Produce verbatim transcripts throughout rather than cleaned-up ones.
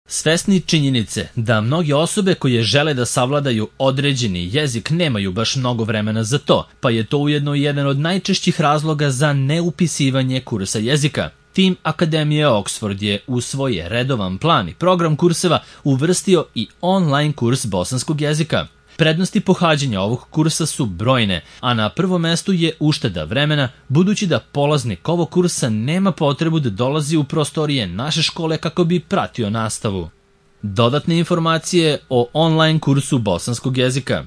Svesni činjenice da mnoge osobe koje žele da savladaju određeni jezik nemaju baš mnogo vremena za to, pa je to ujedno jedan od najčešćih razloga za neupisivanje kursa jezika. Tim Akademije Oxford je u svoj redovan plan i program kurseva uvrstio i online kurs bosanskog jezika. Prednosti pohađanja ovog kursa su brojne, a na prvom mestu je ušteda vremena, budući da polaznik ovog kursa nema potrebu da dolazi u prostorije naše škole kako bi pratio nastavu. Dodatne informacije o online kursu bosanskog jezika.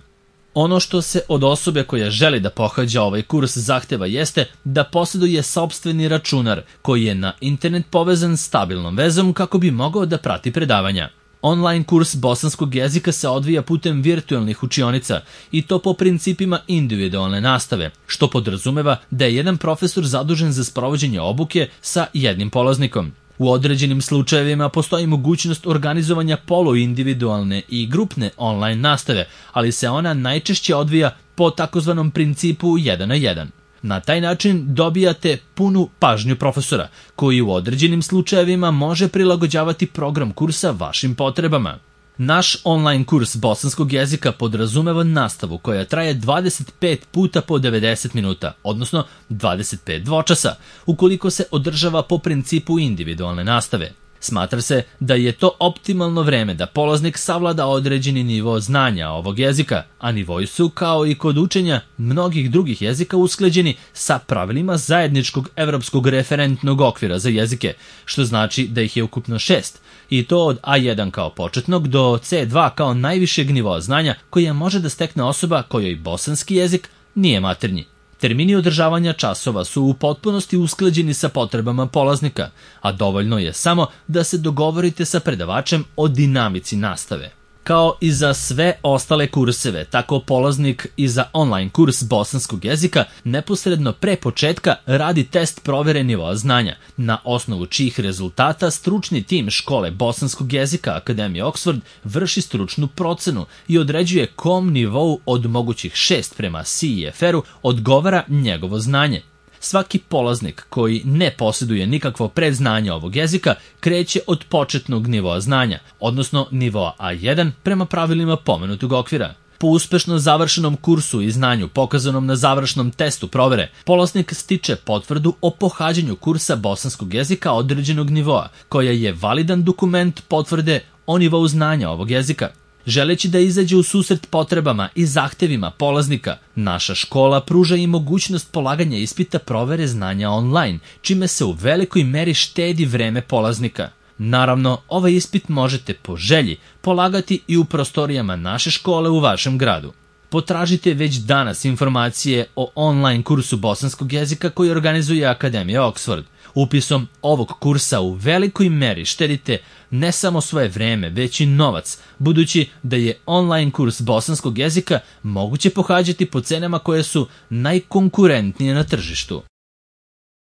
Ono što se od osobe koja želi da pohađa ovaj kurs zahteva jeste da posjeduje sopstveni računar koji je na internet povezan stabilnom vezom kako bi mogao da prati predavanja. Online kurs bosanskog jezika se odvija putem virtualnih učionica i to po principima individualne nastave, što podrazumeva da je jedan profesor zadužen za sprovođenje obuke sa jednim polaznikom. U određenim slučajevima postoji mogućnost organizovanja poluindividualne i grupne online nastave, ali se ona najčešće odvija po takozvanom principu jedan na jedan. Na taj način dobijate punu pažnju profesora, koji u određenim slučajevima može prilagođavati program kursa vašim potrebama. Naš online kurs bosanskog jezika podrazumeva nastavu koja traje dvadeset pet puta po devedeset minuta, odnosno dvadeset pet dvočasa, ukoliko se održava po principu individualne nastave. Smatra se da je to optimalno vreme da polaznik savlada određeni nivo znanja ovog jezika, a nivoi su, kao i kod učenja mnogih drugih jezika, usklađeni sa pravilima zajedničkog evropskog referentnog okvira za jezike, što znači da ih je ukupno šest, i to od A jedan kao početnog do C dva kao najvišeg nivoa znanja koja može da stekne osoba kojoj bosanski jezik nije maternji. Termini održavanja časova su u potpunosti usklađeni sa potrebama polaznika, a dovoljno je samo da se dogovorite sa predavačem o dinamici nastave. Kao i za sve ostale kurseve, tako polaznik i za online kurs bosanskog jezika neposredno pre početka radi test provere nivoa znanja, na osnovu čijih rezultata stručni tim škole bosanskog jezika Akademije Oxford vrši stručnu procenu i određuje kom nivou od mogućih šest prema C I F R-u odgovara njegovo znanje. Svaki polaznik koji ne posjeduje nikakvo predznanje ovog jezika kreće od početnog nivoa znanja, odnosno nivoa A jedan prema pravilima pomenutog okvira. Po uspešno završenom kursu i znanju pokazanom na završnom testu provere, polaznik stiče potvrdu o pohađanju kursa bosanskog jezika određenog nivoa, koja je validan dokument potvrde o nivou znanja ovog jezika. Želeći da izađe u susret potrebama i zahtevima polaznika, naša škola pruža i mogućnost polaganja ispita provere znanja online, čime se u velikoj meri štedi vreme polaznika. Naravno, ovaj ispit možete po želji polagati i u prostorijama naše škole u vašem gradu. Potražite već danas informacije o online kursu bosanskog jezika koji organizuje Akademija Oxford. Upisom ovog kursa u velikoj meri štedite ne samo svoje vreme, već i novac, budući da je online kurs bosanskog jezika moguće pohađati po cenama koje su najkonkurentnije na tržištu.